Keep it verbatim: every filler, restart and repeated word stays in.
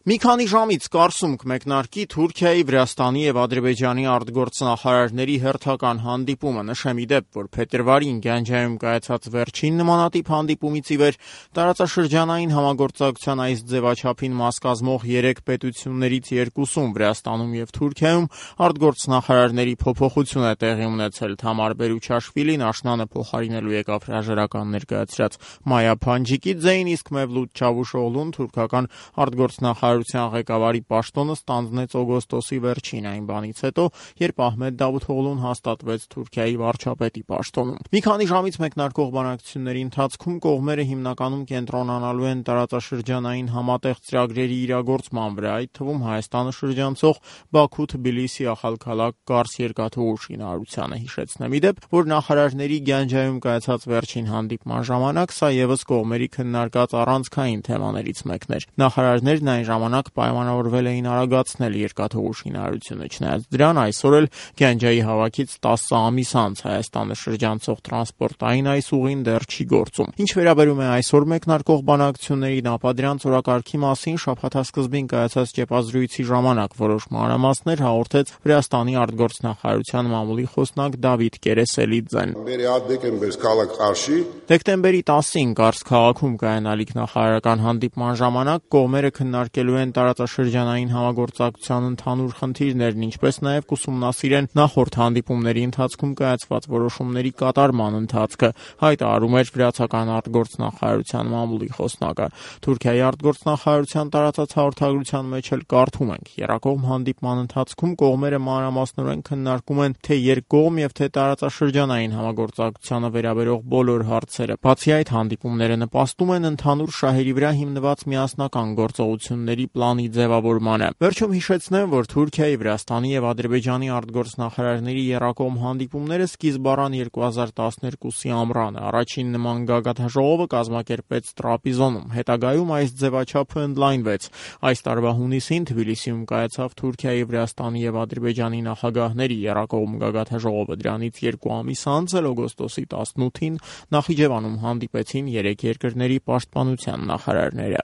Մի քանի ժամից Կարսում կմեկնարկի Թուրքիայի, Վրաստանի եւ Ադրբեջանի արտգործնախարարների հերթական հանդիպումը։ Նշեմ ի դեպ, որ փետրվարին Գանջայում կայացած վերջին նմանատիպ հանդիպումից ի վեր տարածաշրջանային համագործակցության այս ձևաչափին մաս կազմող երեք պետություններից երկուսում՝ Վրաստանում եւ Թուրքիայում, արտգործնախարարների փոփոխություն է տեղի ունեցել։ Թամար Բերուչաշվիլին աշնանը փոխարինելու եկավ հրաժարական ներկայացրած Մայա Փանջիկիձեին, իսկ Մևլութ Չավուշօղլուն թուրքական արտգործնախարար ղեկավարի պաշտոնը ստանձնեց օգոստոսի վերջին, այն բանից հետո, երբ Ահմեդ Դավութօղլուն հաստատվեց Թուրքիայի վարչապետի պաշտոնում։ Մի քանի ժամից մեկնարկող բանակցությունների ընթացքում կողմերը հիմնականում կենտրոնանալու են տարածաշրջանային համատեղ ծրագրերի իրագործման վրա, այդ թվում Հայաստանը շրջանցող Բաքու-Թբիլիսի ախալքալակ Կարս երկաթուղու շինարարությանը։ Հիշեցնեմ ի դեպ, որ նախարարների Գանջայում կայացած վերջին հանդիպման ժամանակ սա ևս կողմերի քննարկած առանցքային թեմաներից մեկն էր։ Նախարարներն այն ժամանակ պայմանավորվել էին արագացնել երկաթուղու շինարարությունը։ Չնայած դրան, այսօր էլ Գանջայի հավաքից տասը ամիս անց Հայաստանը շրջանցող տրանսպորտային այս ուղին դեռ չի գործում։ Ինչ վերաբերում է այսօր մեկնարկող բանակցություններին, ապա դրանց օրակարգի մասին շաբաթասկզբին կայացած ճեպազրույցի ժամանակ որոշ մանրամասներ հաղորդեց Վրաստանի արտգործնախարարության մամուլի խոսնակ Դավիթ Կերեսելիձեն։ Դեկտեմբերի տասին Կարս քաղաքում կայանալիք նախարարական հանդիպման ժամանակ կողմերը քննարկելու են տարածաշրջանային համագործակցության ընդհանուր խնդիրներն, ինչպես նաև կուսումնասիրեն նախորդ հանդիպումների ընթացքում կայացված որոշումների կատարման ընթացքը, հայտարարում էր վրացական արտգործնախարարության մամուլի խոսնակը։ Թուրքիայի արտգործնախարարության տարածած հաղորդագրության մեջ էլ կարդում ենք. Եռակողմ հանդիպման ընթացքում կողմերը մանրամասնորեն քննարկում են թե երկկողմ եւ թե տարածաշրջանային համագործակցությանը վերաբերող բոլոր հարցերը։ Բացի այդ, հանդիպումները նպաստում են ընդհանուր շահերի վրա հիմնված միասնական գործողությունների պլանի ձևավորմանը։ Վերջում հիշեցնեմ, որ Թուրքիայի, Վրաստանի եւ Ադրբեջանի արտգործնախարարների եռակողմ հանդիպումները սկիզբ առան երկու հազար տասներկուսի ամռանը։ Առաջին նման գագաթնաժողովը կազմակերպվեց Տրապիզոնում։ Հետագայում այս ձևաչափը ընդլայնվեց։ Այս տարվա հունիսին Թբիլիսիում կայացավ Թուրքիայի, Վրաստանի եւ Ադրբեջանի նախագահների եռակողմ գագաթնաժողովը։ Դրանից երկու ամիս անց էլ օգոստոսի տասնութին Նախիջևանում հանդիպեցին երեք երկրների պաշտպանության նախարարները։